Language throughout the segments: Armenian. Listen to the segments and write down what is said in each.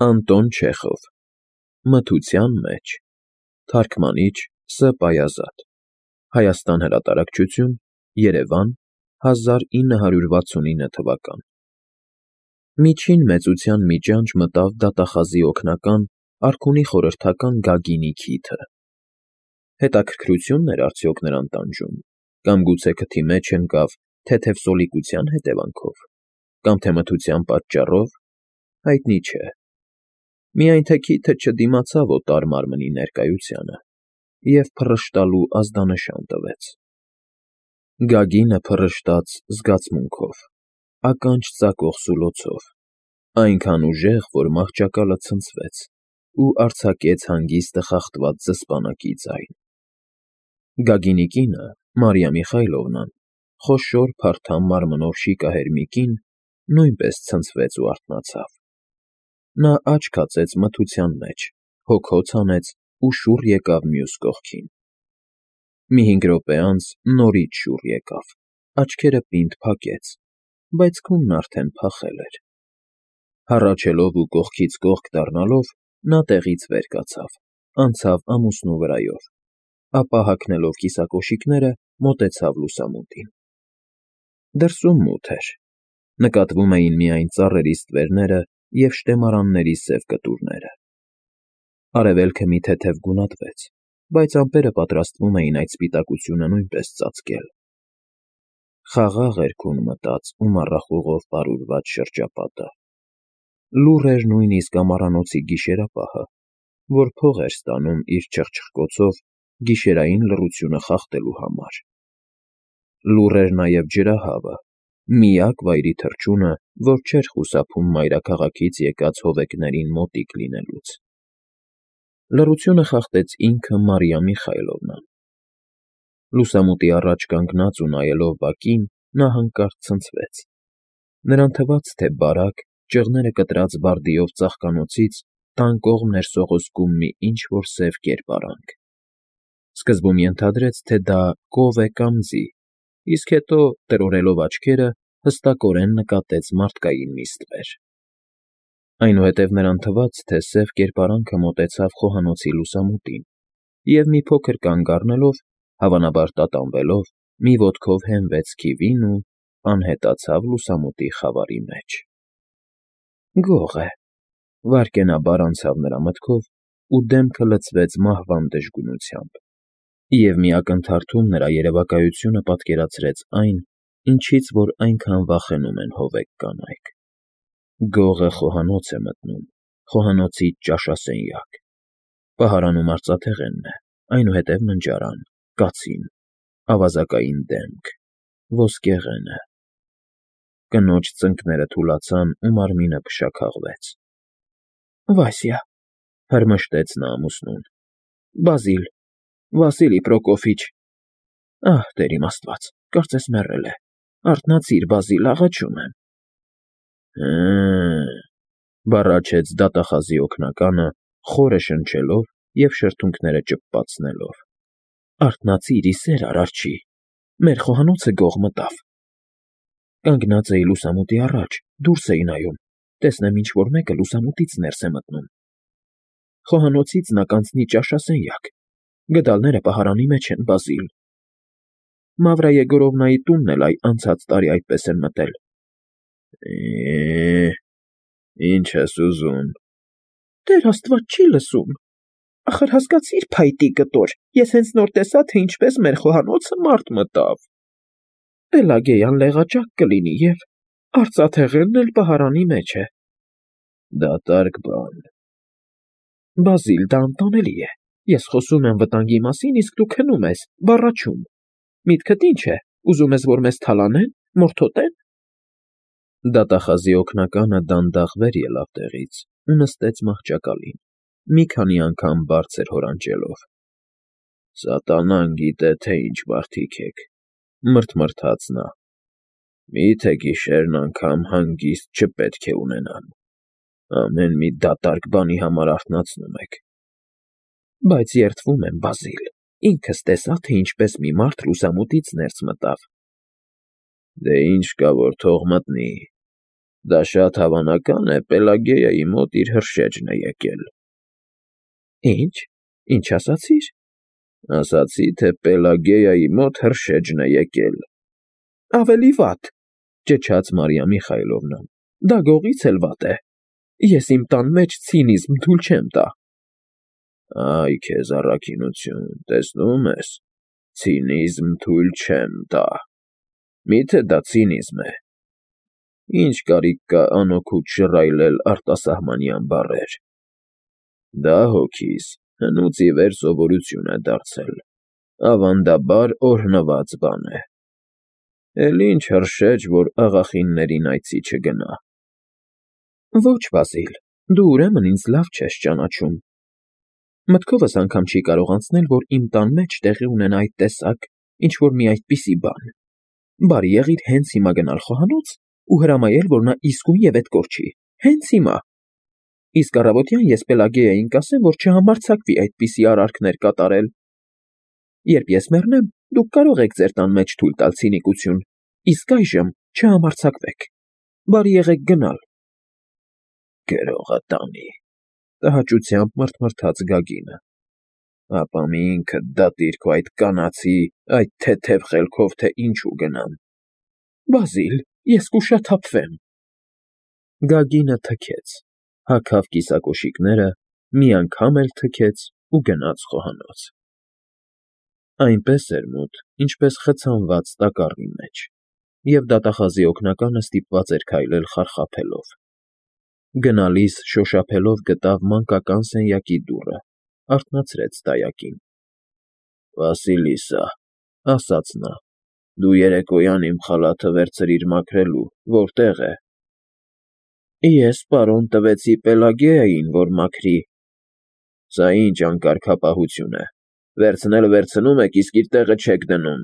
Անտոն Չեխով Մթության մեջ Թարգմանիչ Ս. Պայազատ Հայաստան հրատարակչություն Երևան 1969 թվական Միջին մեծության մի ճանճ մտավ դատախազի օգնական արքունի խորհրդական Գագինի քիթը։ Հետաքրքրություն էր արդյոք նրան տանջում, կամ գուցե քթի մեջ ընկավ թեթև սոլիկության հետևանքով, կամ թե մթության պատճառով, հայտնի չէ։ Միայն թե քիթը չդիմացավ օտար մարմնի ներկայությանը և փռշտալու ազդանշան տվեց։ Գագինը փռշտաց զգացմունքով, ականջ ծակող սուլոցով, այնքան ուժեղ, որ մահճակալը ցնցվեց ու արձակեց հանգիստը խախտված զսպանակի ձայն։ Գագինի կինը, Մարիա Միխայիլովնան, խոշոր փարթամ մարմնով շիկահեր մի կին, նույնպես ցնցվեց ու արթնացավ։ Նա աչք հացեց մթության մեջ, հոգոց հանեց ու շուռ եկավ մյուս կողքին։ Մի 5 րոպե անց նորից շուռ եկավ, աչքերը պինդ փակեց, բայց քունն արդեն փախել էր։ Հառաչելով ու կողքից կողք դառնալով, նա տեղից վեր կացավ, անցավ ամուսնու վրայով, ապա հագնելով կիսակոշիկները մոտեցավ լուսամուտին։ Դրսում մութ էր, նկատվում էին միայն ծառերի ստվերները և շտեմարանների սև կտուրները։ Արևելքը մի թեթև գունատվեց, բայց ամպերը պատրաստվում էին այդ սպիտակությունը նույնպես ծածկել։ Խաղաղ էր քուն մտած ու մառախուղով պարուրված շրջապատը։ Լուռ էր նույնիսկ ամառանոցի գիշերապահը, որ փող էր ստանում իր չխչխկոցով գիշերային լռությունը խախտելու համար։ Լուռ էր նաև ջրահավը, միակ վայրի թռչունը, որ չէր խուսափում մայրաքաղաքից եկած հովեկներին մոտիկ լինելուց։ Լռությունը խախտեց ինքը Մարիա Միխայիլովնան։ Լուսամուտի առաջ կանգնած ու նայելով բակին, նա հանկարծ ցնցվեց։ Նրան թվաց, թե բարակ, ճղները կտրած բարդիով ծաղկանոցից տան կողմն էր սողոսկում մի ինչ֊որ սև կերպարանք։ Սկզբում ենթադրեց, թե դա կով է կամ ձի, իսկ հետո, տրորելով աչքերը, հստակորեն նկատեց մարդկային մի ստվեր։ Այնուհետև նրան թվաց, թե սև կերպարանքը մոտեցավ խոհանոցի լուսամուտին և մի փոքր կանգ առնելով, հավանաբար տատանվելով, մի ոտքով հենվեց քիվին ու անհետացավ լուսամուտի խավարի մեջ։ Գող է, վայրկենաբար անցավ նրա մտքով ու դեմքը լցվեց մահվան դժգունությամբ, և մի ակնթարթում նրա երևակայությունը պատկերացրեց այն, ինչից որ այնքան վախենում են հովեկ կանայք։ Գողը խոհանոց է մտնում, խոհանոցի ճաշասենյակ, պահարանում արծաթեղենն է, այնուհետև ննջարան, կացին, ավազակային դեմք, ոսկեղենը։ Կնոջ ծնկները թուլացան ու մարմինը փշաքաղվեց։ Վասյա, հրմշտեց նա ամուսնուն, Բազիլ, Վասիլի Պրոկոֆիչ։ Ահ, Տեր իմ Աստված, կարծես մեռել է, արթնացիր, Բազիլ, աղաչում եմ։ Հը՜, բառաչեց դատախազի օգնականը, խորը շնչելով և շրթունքները ճպպացնելով։ Արթնացիր, ի սեր Արարչի, մեր խոհանոցը գող մտավ։ Կանգնած էի լուսամուտի առաջ, դուրս էի նայում, տեսնեմ ինչ֊որ մեկը լուսամուտից ներս է մտնում։ Խոհանոցից նա կանցնի ճաշասենյակ, գդալները պահարանի մեջ են, Բազիլ։ Մավրա Եգորովնայի տունն էլ անցած տարի այդպես են մտել։ Ինչ ես ուզում։ Տեր Աստված, չի լսում։ Ախր հասկացիր, փայտի կտոր, ես հենց նոր տեսա, թե ինչպես մեր խոհանոցը մարդ մտավ։ Պելագեյան լեղաճակ կլինի և արծաթեղենն էլ պահարանի մեջ է։ Դատարկ բան։ Բազիլ, դա անտանելի է։ Ես խոսում եմ վտանգի մասին, իսկ դու քնում ես, բառաչում։ Միտքդ ինչ է, ուզում ես, որ մեզ թալանեն, մորթոտեն։ Դատախազի օգնականը դանդաղ վեր ելավ տեղից ու նստեց մահճակալին, մի քանի անգամ բարձր հորանջելով։ Սատանան գիտե, թե ինչ մարդիկ եք, մռթմռթաց նա։ Մի՞թե գիշերն անգամ հանգիստ չպետք է ունենան։ Ամեն մի դատարկ բանի համար արթնացնում եք։ Բայց երդվում եմ, Բազիլ, ինքս տեսա, թե ինչպես մի մարդ լուսամուտից ներս մտավ։ Դե ինչ կա, որ թող մտնի։ Դա շատ հավանական է, Պելագեայի մոտ իր հրշեջն է եկել։ Ինչ ասացիր։ Ասացի, թե Պելագեայի մոտ հրշեջն է եկել։ Ավելի վատ, ճչաց Մարիա Միխայլովնան։ Դա գողից էլ վատ է։ Ես իմ տան մեջ ցինիզմ թույլ չեմ տա։ Այ քեզ առաքինություն, տեսնում ես, ցինիզմ թույլ չեմ տա։ Միթե դա ցինիզմ է։ Ինչ կարիք կա անօգուտ շռայլել արտասահմանյան բառեր։ Դա հոգիս հնուց ի վեր սովորություն է դարձել, ավանդաբար օրհնված բան է։ Էլ ինչ հրշեջ, որ աղախիններին այցի չգնա։ Ոչ, Բազիլ, դու ուրեմն ինձ լավ չես ճանաչում։ Մտքովս անգամ չի կարող անցնել, որ իմ տան մեջ տեղի ունենա այդ տեսակ, ինչ-որ մի այդպիսի բան։ Բարի եղիր հենց հիմա գնալ խոհանոց ու հրամայել, որ նա իսկույն և էդ կորչի, հենց հիմա։ Իսկ առավոտյան ես Պելագեային կասեմ, որ չհամարձակվի այդպիսի արարքներ կատարել։ Երբ ես մեռնեմ, դուք կարող եք ձեր տան մեջ թույլ տալ ցինիկություն, իսկ այժմ չհամարձակվեք։ Բարի եղեք գնալ։ Գրողը տանի, տհաճությամբ մռթմռթաց Գագինը։ Ապա մի ինքդ դատիր քո այդ կանացի, այդ թեթև խելքով, թե ինչու գնամ։ Բազիլ, ես կուշաթափվեմ։ Գագինը թքեց, հագավ կիսակոշիկները, մի անգամ էլ թքեց ու գնաց խոհանոց։ Այնպես էր մութ, ինչպես խցանված տակառի մեջ, և դատախազի օգնականը ստիպված էր քայլել խարխափելով։ Գնալիս շոշափելով գտավ մանկական սենյակի դուռը, արթնացրեց դայակին։ Վասիլիսա, ասաց նա, դու երեկոյան իմ խալաթը վերցրիր մաքրելու, որտեղ է։ Ես պարոն տվեցի Պելագեային, որ մաքրի։ Սա ինչ անկարգապահություն է։ Վերցնել վերցնում եք, իսկ իր տեղը չեք դնում։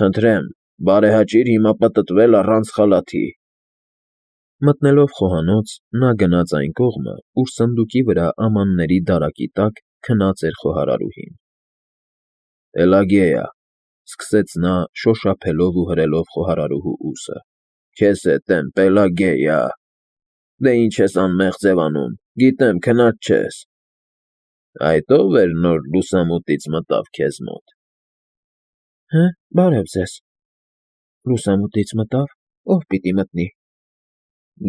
Խնդրեմ, բարեհաճիր հիմա պտտվել առանց խալաթի։ Մտնելով խոհանոց, նա գնաց այն կողմը, ուր սնդուկի վրա ամանների դարակի տակ քնած էր խոհարարուհին։ Պելագեյա, սկսեց նա, շոշափելով ու հրելով խոհարարուհու ուսը։ Քեզ հետ եմ, Պելագեյա։ Դե ինչ ես անմեղ ձևանում, գիտեմ, քնած չես։ Այդ ո՞վ էր նոր լուսամուտից մտավ քեզ մոտ։ Հը, բարև ձեզ։ Լուսամուտից մտավ, ով պիտի մտնի։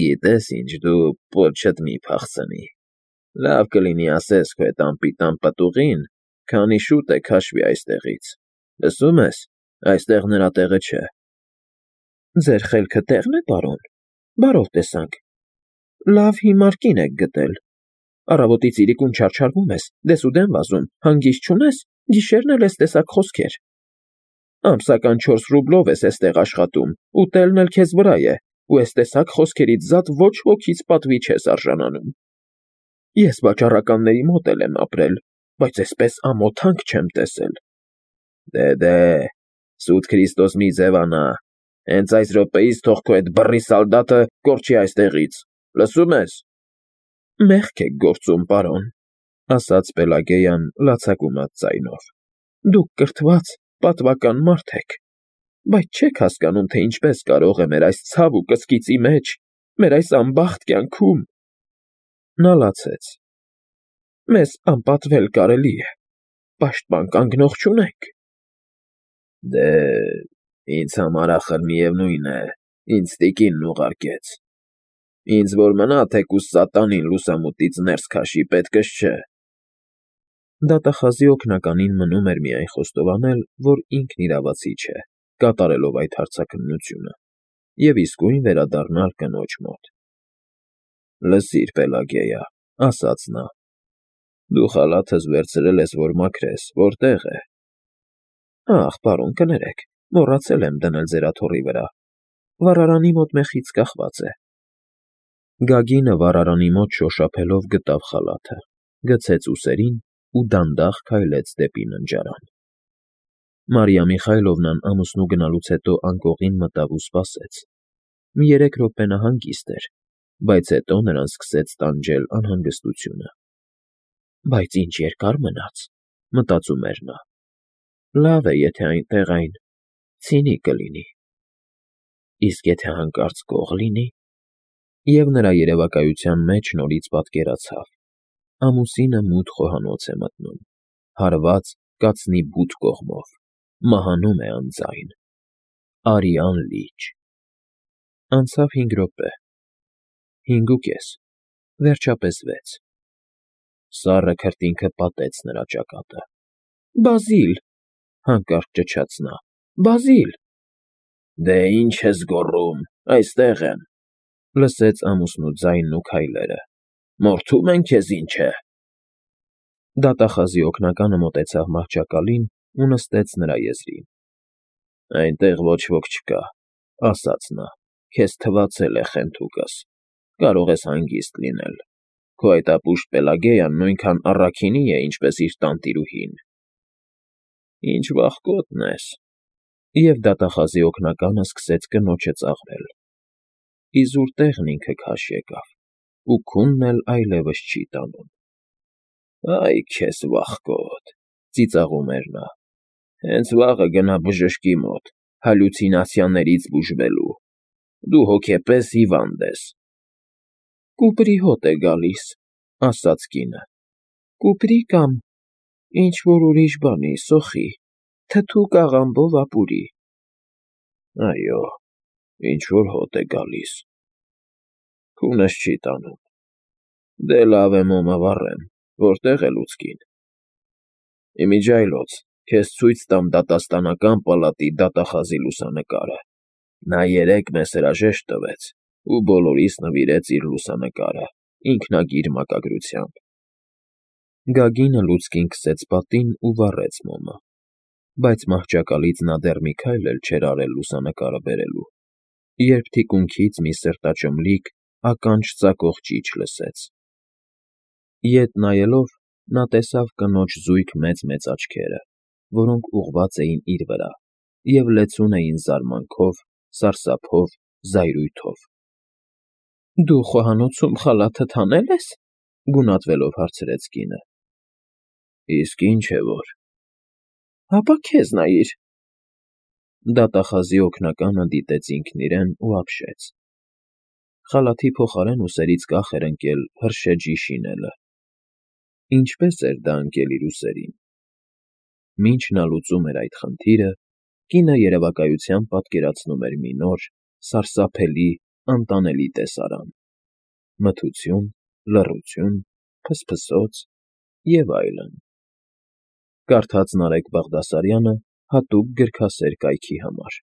Գիտես ինչ, դու պոչդ մի փախցնի։ Լավ կլինի ասես քո այդ անպիտան պտուղին, քանի շուտ է քաշվի այստեղից։ Լսում ես, այստեղ նրա տեղը չէ։ Ձեր խելքը տեղն է, պարոն։ Բարով տեսանք։ Լավ հիմար կին եք գտել։ Առավոտից իրիկուն չարչարվում ես, դեսուդեն վազում, հանգիստ չունես, գիշերն էլ ես տեսակ խոսքեր։ Ամսական 4 ռուբլով ես էստեղ աշխատում, ուտելն էլ քեզ վրա է, ու ես տեսակ խոսքերից զատ ոչ ոքից պատվի չես արժանանում։ Ես վաճառականների մոտ էլ եմ ապրել, բայց այսպես ամոթանք չեմ տեսել։ Դե, սուտ Քրիստոս մի ձևանա, հենց այս րոպեից թող քո այդ բռի սալդատը կորչի այստեղից, լսում ես։ Մեղք եք գործում, պարոն, ասաց Պելագեյան լացակումած ձայնով։ Դուք կրթված, պատվական մարդ եք, բայց չեք հասկանում, թե ինչպես կարող է մեր այս ցավ ու կսկիծի մեջ, մեր այս անբախտ կյանքում։ Նա լացեց։ Մեզ անպատվել կարելի է, պաշտպան կանգնող չունենք։ Դե, ինձ համար ախր միևնույն է, ինձ տիկինն ուղարկեց։ Ինձ որ մնա թեկուզ սատանին լուսամուտից ներս քաշի, պետքս չէ։ Դատախազի օգնականին մնում էր միայն խոստովանել, որ ինքն իրավացի չէ, կատարելով այդ հարցաքննությունը, և իսկույն վերադառնալ կնոջ մոտ։ Լսիր, Պելագեյա, ասաց նա, դու խալաթս վերցրել ես, որ մաքրես, որտեղ է։ Ախ, պարոն, կներեք, մոռացել եմ դնել ձեր աթոռի վրա։ Վառարանի մոտ մեխից կախված է։ Գագինը վառարանի մոտ շոշափելով գտավ խալաթը, գցեց ուսերին ու դանդաղ քայլեց դեպի ննջարան։ Մարիա Միխայլովնան ամուսնու գնալուց հետո անկողին մտավ ու սպասեց։ Մի 3 րոպե նա հանգիստ էր, բայց հետո նրան սկսեց տանջել անհանգստությունը։ Բայց ինչ երկար մնաց, մտածում էր նա։ Լավ է, եթե այնտեղ այն ցինի կլինի։ Իսկ եթե հանկարծ գող լինի։ Եվ նրա երևակայության մեջ նորից պատկերացավ. ամուսինը մութ խոհանոց է մտնում, հարված կացնի բութ կողմով, մահանում է անձայն, արյան լիճ… Անցավ 5 րոպե, 5.5, վերջապես 6… Սառը քրտինքը պատեց նրա ճակատը։ Բազիլ… հանկարծ ճչաց նա, Բազիլ… Դե ինչ ես գոռում, այստեղ եմ, լսեց ամուսնու ձայնն ու քայլերը, մորթում են քեզ ինչ է… Դատախազի օգնականը մոտեցավ մահճակալին ու նստեց նրա եզրին։ Այնտեղ ոչ ոք չկա, ասաց նա, քեզ թվացել է խենթուկս, կարող ես հանգիստ լինել, քո այդ ապուշտ Պելագեյան նույնքան առաքինի է, ինչպես իր տանտիրուհին… Ինչ վախկոտն ես… Եվ դատախազի օգնականը սկսեց կնոջը ծաղրել… Իզուր տեղն ինքը քաշ եկավ, ու քունն էլ այլևս չի տանում… Այ քեզ վախկոտ, ծիծաղում էր նա, հենց վաղը գնա բժշկի մոտ, հալյուցինացիաներից բուժվելու, դու հոգեպես հիվանդ ես… Կուպրի հոտ է գալիս, ասաց կինը, կուպրի կամ ինչ֊որ ուրիշ բանի, սոխի, թթու կաղամբով ապուրի… Այո, ինչ֊որ հոտ է գալիս… Քունս չի տանում… Դե լավ է մոմը վառեմ, որտե՞ղ է լուցկին… Իմիջիայլոց, քեզ ցույց տամ դատաստանական պալատի դատախազի լուսանկարը, նա երեկ մեզ հրաժեշտ տվեց ու բոլորիս նվիրեց իր լուսանկարը, ինքնագիր մակագրությամբ… Գագինը լուցկին քսեց պատին ու վառեց մոմը, բայց մահճակալից նա դեռ մի քայլ էլ չէր արել լուսանկարը բերելու, երբ թիկունքից մի սրտաճմլիկ, ականջ ծակող ճիչ լսեց… Ետ նայելով՝ նա տեսավ կնոջ զույգ մեծ֊մեծ աչքերը, որոնք ուղղված էին իր վրա և լեցուն էին զարմանքով, սարսափով, զայրույթով։ ֊ Դու խոհանոցում խալաթդ հանե՞լ ես,֊ գունատվելով հարցրեց կինը։ ֊ Իսկ ինչ է որ… ֊ Հապա քեզ նայիր… Դատախազի օգնականը դիտեց ինքն իրեն ու ապշեց… Խալաթի փոխարեն ուսերից կախ էր ընկել հրշեջի շինելը… Ինչպե՞ս էր դա ընկել իր ուսերին… Մինչ նա լուծում էր այդ խնդիրը, կինը երևակայությամբ պատկերացնում էր մի նոր, սարսափելի, անտանելի տեսարան… Մթություն, լռություն, փսփսոց և այլն… Կարդաց Նարեկ Բաղդասարյանը հատուկ գրքասեր կայքի համար։